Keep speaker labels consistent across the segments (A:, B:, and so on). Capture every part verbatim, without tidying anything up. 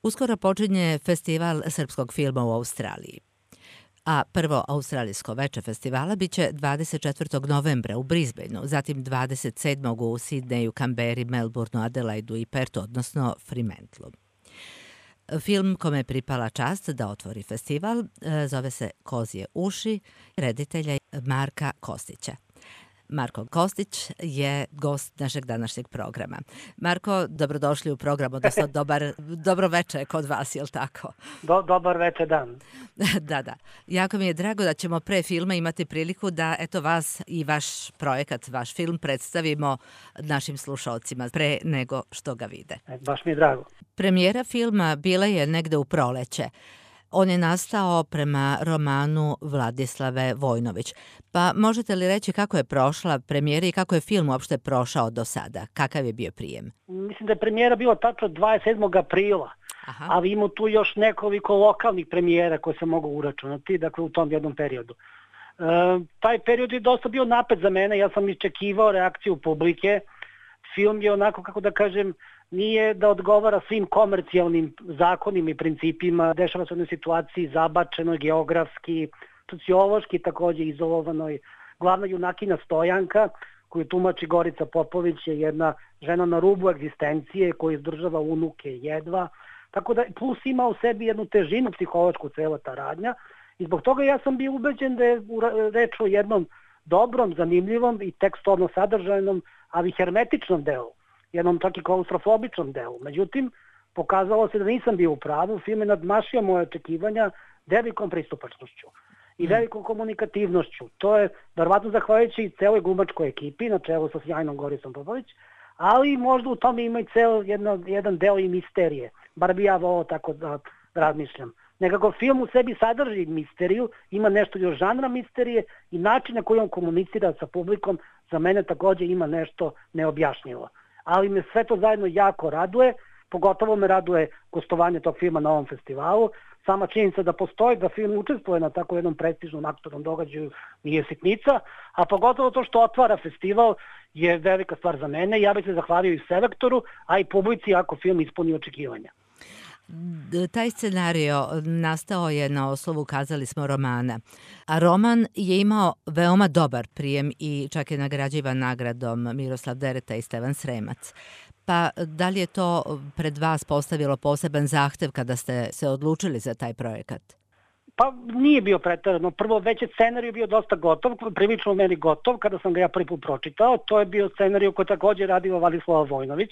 A: Uskoro počinje festival srpskog filma u Australiji. A prvo australijsko veče festivala biće dvadeset četvrtog novembra u Brisbaneu, zatim dvadeset sedmog u Sidneju, Kamberi, Melbourneu, Adelaidu i Pertu, odnosno Fremantlu. Film kome je pripala čast da otvori festival zove se Kozje uši, reditelja Marka Kostića. Marko Kostić je gost našeg današnjeg programa. Marko, dobrodošli u program, odnosno dobar, dobro veče kod vas, je li tako?
B: Do, dobar veče dan.
A: Da, da. Jako mi je drago da ćemo pre filma imati priliku da eto vas i vaš projekat, vaš film predstavimo našim slušalcima pre nego što ga vide.
B: E, baš mi je drago.
A: Premijera filma bila je negde u proleće. On je nastao prema romanu Vladislave Vojnović. Pa možete li reći kako je prošla premijera i kako je film uopšte prošao do sada? Kakav je bio prijem?
B: Mislim da je premijera bila tačno dvadeset sedmog aprila, Aha. ali ima tu još nekoliko lokalnih premijera koje se mogu uračunati, dakle u tom jednom periodu. E, taj period je dosta bio napet za mene, ja sam iščekivao reakciju publike. Film je onako, kako da kažem, nije da odgovara svim komercijalnim zakonima i principima, dešava se u jednoj situaciji zabačenoj, geografski, sociološki takođe izolovanoj. Glavna junakinja Stojanka, koju tumači Gorica Popović, je jedna žena na rubu egzistencije koja izdržava unuke jedva. Tako da plus ima u sebi jednu težinu psihološku cela ta radnja i zbog toga ja sam bio ubeđen da je reč o jednom dobrom, zanimljivom i tekstovno sadržajnom, ali hermetičnom delu, jednom čak i klaustrofobičnom delu. Međutim, pokazalo se da nisam bio u pravu, film je nadmašio moje očekivanja velikom pristupačnošću i velikom komunikativnošću. To je verovatno zahvaljujući celoj glumačkoj ekipi na čelu sa sjajnom Goricom Popović, ali možda u tome ima i ceo jedno, jedan deo i misterije. Bar bi ja volao tako da razmišljam. Nekako film u sebi sadrži misteriju, ima nešto još žanra misterije i način na koji on komunicira sa publikom za mene takođe ima nešto neobjašnjivo. Ali me sve to zajedno jako raduje, pogotovo me raduje gostovanje tog filma na ovom festivalu. Sama činjenica da postoji, da film učestvuje na tako jednom prestižnom aktornom događaju nije sitnica, a pogotovo to što otvara festival je velika stvar za mene. Ja bih se zahvalio i selektoru, a i publici ako film ispuni očekivanja.
A: Taj scenario nastao je na osnovu, kazali smo, romana. A roman je imao veoma dobar prijem i čak je nagrađivan nagradom Miroslav Dereta i Stevan Sremac. Pa da li je to pred vas postavilo poseban zahtev kada ste se odlučili za taj projekat?
B: Pa nije bio preterano. Prvo, već je scenarij bio dosta gotov, prilično u meni gotov, kada sam ga ja prvi put pročitao. To je bio scenarij koji takođe radila Vladislava Vojnović,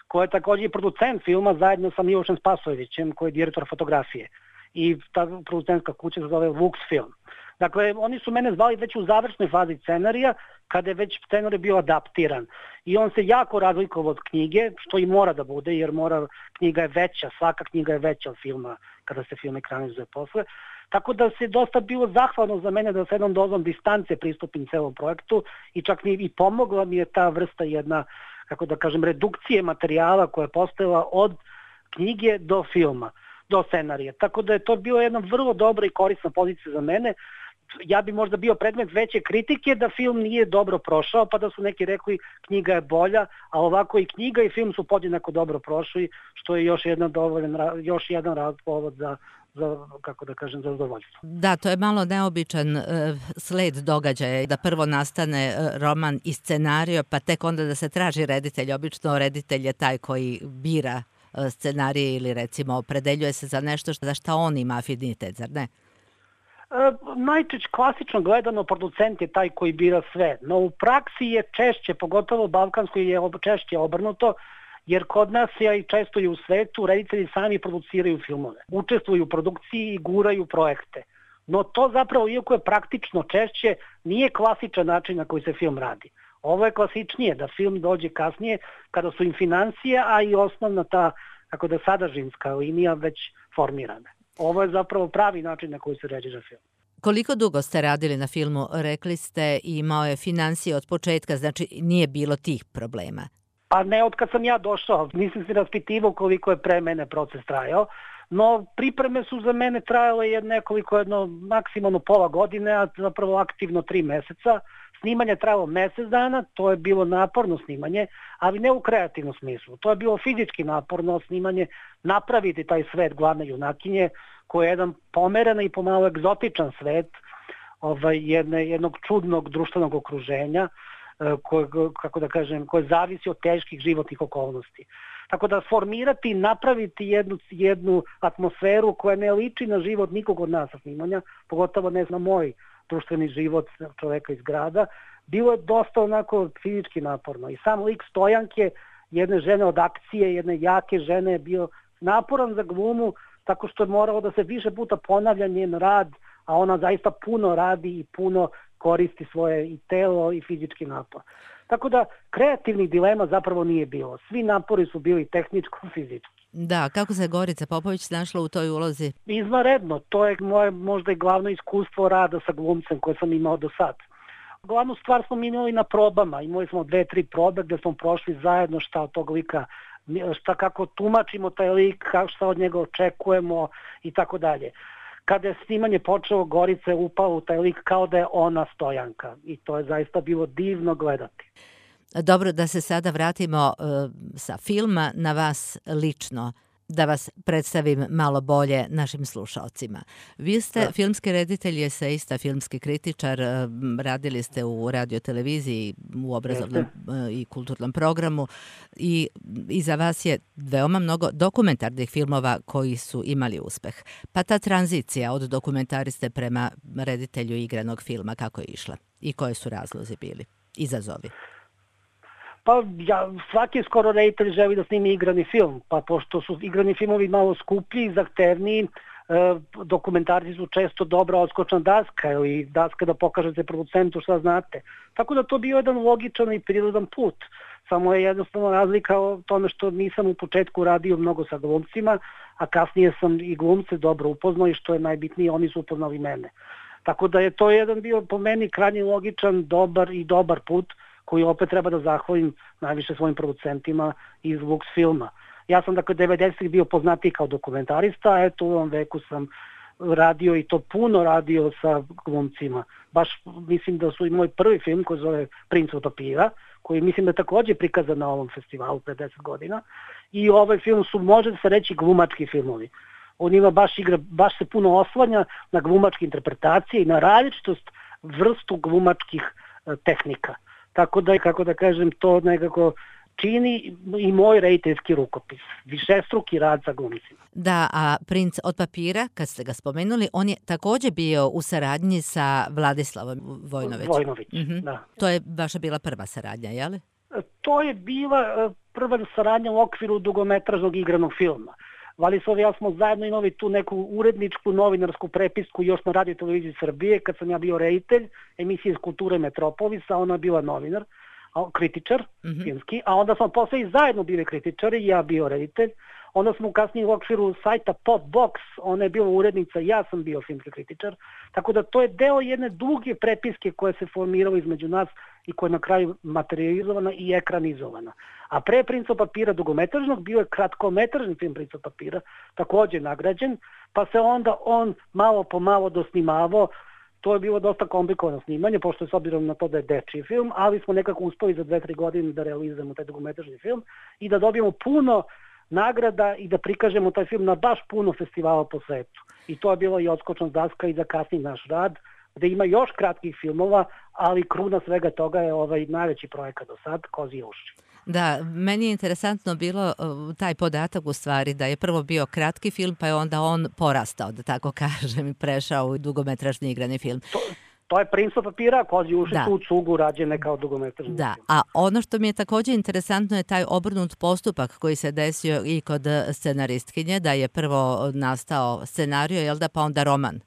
B: koja je takođe i producent filma zajedno sa Milošem Spasojevićem, koji je direktor fotografije. I ta producentska kuća se zove Lux Film. Dakle, oni su mene zvali već u završnoj fazi scenarija, kada je već scenarij bio adaptiran. I on se jako razlikovao od knjige, što i mora da bude, jer mora, knjiga je veća, svaka knjiga je veća od filma, kada se film ekranizuje posle. Tako da se dosta bilo zahvalno za mene da sa jednom dozom distance pristupim celom projektu i čak mi i pomogla mi je ta vrsta jedna, kako da kažem, redukcije materijala koja je postojala od knjige do filma, do scenarija. Tako da je to bilo jedna vrlo dobra i korisna pozicija za mene. Ja bi možda bio predmet veće kritike da film nije dobro prošao, pa da su neki rekli knjiga je bolja, a ovako i knjiga i film su podjednako dobro prošli, što je još jedan dovoljan, još jedan povod za za, kako da kažem, za zadovoljstvo.
A: Da, to je malo neobičan uh, sled događaja, da prvo nastane uh, roman i scenario, pa tek onda da se traži reditelj. Obično reditelj je taj koji bira uh, scenarije ili recimo opredeljuje se za nešto za šta on ima afinitet, zar ne?
B: E, najčešće klasično gledano producent je taj koji bira sve, no u praksi je češće, pogotovo u Balkanskoj je češće obrnuto, jer kod nas je i često i u svetu reditelji sami produciraju filmove, učestvuju u produkciji i guraju projekte. No to zapravo, iako je praktično češće, nije klasičan način na koji se film radi. Ovo je klasičnije, da film dođe kasnije kada su im financije, a i osnovna ta, kako da sadržinska linija već formirana. Ovo je zapravo pravi način na koji se ređira film.
A: Koliko dugo ste radili na filmu? Rekli ste imao je financije od početka, znači nije bilo tih problema.
B: Pa ne, od kad sam ja došao, nisam se raspitivao koliko je pre mene proces trajao, no pripreme su za mene trajale nekoliko, jedno maksimalno pola godine, a zapravo aktivno tri meseca. snimanje trajalo mjesec dana, to je bilo naporno snimanje, ali ne u kreativnom smislu. To je bilo fizički naporno snimanje, napraviti taj svet glavne junakinje, koji je jedan pomeren i pomalo egzotičan svet, ovaj, jedne, jednog čudnog društvenog okruženja, koje, kako da kažem, koje zavisi od teških životnih okolnosti. Tako da formirati i napraviti jednu, jednu atmosferu koja ne liči na život nikog od nas sa snimanja, pogotovo ne na moj društveni život čoveka iz grada, bilo je dosta onako fizički naporno. I sam lik Stojanke, jedne žene od akcije, jedne jake žene, je bio naporan za glumu, tako što je moralo da se više puta ponavlja njen rad, a ona zaista puno radi i puno koristi svoje i telo i fizički napor. Tako da kreativnih dilema zapravo nije bilo. Svi napori su bili tehničko-fizički.
A: Da, kako se Gorica Popović našla u toj ulozi?
B: Izvanredno, to je moje možda i glavno iskustvo rada sa glumcem koje sam imao do sad. Glavnu stvar smo imali na probama, imali smo dve, tri probe gdje smo prošli zajedno šta od tog lika, šta kako tumačimo taj lik, šta od njega očekujemo i tako dalje. Kada je snimanje počelo, Gorica je upala u taj lik kao da je ona Stojanka i to je zaista bilo divno gledati.
A: Dobro, da se sada vratimo uh, sa filma na vas lično, da vas predstavim malo bolje našim slušalcima. Vi ste da. filmski reditelj, eseista, filmski kritičar, radili ste u radioteleviziji, u obrazovnom Jeste. i kulturnom programu i iza vas je veoma mnogo dokumentarnih filmova koji su imali uspeh. Pa ta tranzicija od dokumentariste prema reditelju igranog filma, kako je išla i koje su razlozi bili, izazovi?
B: Pa ja, svaki skoro reditelj želi da snimi igrani film, pa pošto su igrani filmovi malo skuplji i zahtevniji, e, dokumentarci su često dobra odskočna daska ili daska da pokažete producentu šta znate. Tako da to bio jedan logičan i prirodan put. Samo je jednostavno razlika o tome što nisam u početku radio mnogo sa glumcima, a kasnije sam i glumce dobro upoznao i što je najbitnije, oni su upoznali mene. Tako da je to jedan bio po meni krajnje logičan, dobar i dobar put koji opet treba da zahvalim najviše svojim producentima iz Lux filma. Ja sam dakle devedesetih bio poznatiji kao dokumentarista, a eto u ovom veku sam radio i to puno radio sa glumcima. Baš mislim da su i moj prvi film koji zove Princ od papira, koji mislim da je također prikazan na ovom festivalu pre deset godina. I ovaj film su, može se reći, glumački filmovi. On ima baš igra, baš se puno oslanja na glumačke interpretacije i na različitost vrstu glumačkih e, tehnika. Tako da, kako da kažem, to nekako čini i moj rediteljski rukopis. Višestruki rad sa glumcima.
A: Da, a Princ od papira, kad ste ga spomenuli, on je također bio u saradnji sa Vladislavom Vojnović.
B: Vojnović,
A: mm-hmm.
B: da.
A: To je vaša bila prva saradnja, je li?
B: To je bila prva saradnja u okviru dugometražnog igranog filma. Vladislav i ja smo zajedno imali tu neku uredničku novinarsku prepisku još na Radio Televiziji Srbije, kad sam ja bio reditelj emisije iz Kulture Metropolisa, ona je bila novinar, kritičar mm-hmm. filmski, a onda smo posle i zajedno bili kritičari, ja bio reditelj. Onda smo kasnije u okviru sajta Popbox, ona je bila urednica, ja sam bio filmski kritičar, tako da to je deo jedne duge prepiske koje se formiralo između nas i koja je na kraju materializovana i ekranizovana. A pre Princa od papira dugometražnog bio je kratkometražni film Princa od papira, također nagrađen, pa se onda on malo po malo dosnimavao. To je bilo dosta komplikovano snimanje, pošto je s obzirom na to da je dečiji film, ali smo nekako uspeli za dve, tri godine da realizujemo taj dugometražni film i da dobijemo puno nagrada i da prikažemo taj film na baš puno festivala po svetu. I to je bilo i odskočna daska i za kasniji naš rad, gde ima još kratkih filmova, ali kruna svega toga je ovaj najveći projekat do sad, Kozije uši.
A: Da, meni je interesantno bilo taj podatak u stvari da je prvo bio kratki film, pa je onda on porastao, da tako kažem, i prešao u dugometražni igrani film.
B: To, to je Princ od papira, Kozije uši su u cugu rađene kao dugometražni
A: da.
B: film.
A: A ono što mi je također interesantno je taj obrnut postupak koji se desio i kod scenaristkinje, da je prvo nastao scenario, jel da, pa onda roman.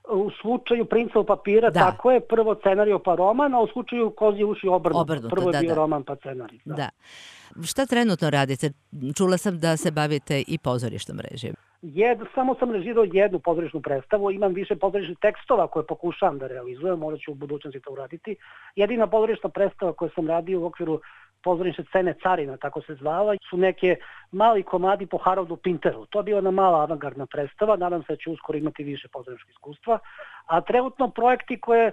B: U slučaju Princa od papira, da. Tako je, prvo scenario pa roman, a u slučaju Kozije uši obrnuto. obrnuto. Prvo je da, bio da. roman pa scenarij. Da.
A: da. Šta trenutno radite? Čula sam da se bavite i pozorišnom režijom.
B: Jed, samo sam režirao jednu pozorišnu predstavu, imam više pozorišnih tekstova koje pokušavam da realizujem, možda ću u budućnosti to uraditi. Jedina pozorišna predstava koju sam radio u okviru pozorišne scene Carina, tako se zvala, su neke mali komadi po Haroldu Pinteru. To je bila jedna mala avangardna predstava, nadam se da ću uskoro imati više pozorišnog iskustva. A trenutno projekti koje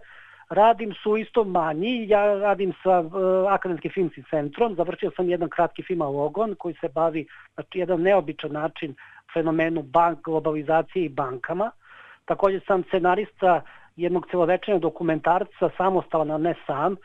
B: radim su isto manji. Ja radim sa uh, Akademskim filmskim centrom. Završio sam jedan kratki film Logon koji se bavi na jedan neobičan način fenomenu bank, globalizacije i bankama. Također sam scenarista jednog celovečernog dokumentarca Samostalan, a ne sam,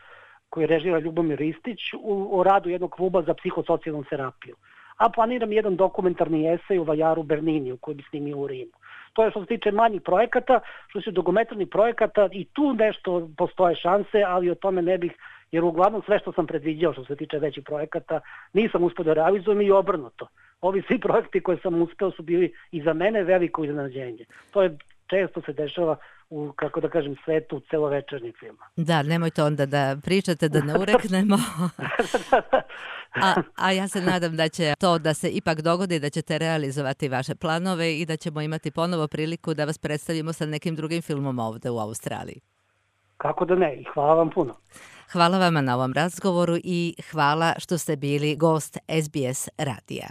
B: koji režira Ljubomir Ristić u, o radu jednog kluba za psihosocijalnu terapiju. A planiram jedan dokumentarni esej u Vajaru Bernini, koji bi snimio u Rimu. To je što se tiče manjih projekata, što se dokumentarnih projekata i tu nešto postoje šanse, ali o tome ne bih, jer uglavnom sve što sam predviđao što se tiče većih projekata nisam uspio da realizujem i obrnuto. Ovi svi projekti koje sam uspeo su bili i za mene veliko iznenađenje. To je često se dešava u, kako da kažem, svetu celovečernjeg filma.
A: Da, nemojte onda da pričate da ne ureknemo. a, a ja se nadam da će to da se ipak dogodi, da ćete realizovati vaše planove i da ćemo imati ponovo priliku da vas predstavimo sa nekim drugim filmom ovde u Australiji.
B: Kako da ne, i hvala vam puno.
A: Hvala vama na ovom razgovoru i hvala što ste bili gost S B S radija.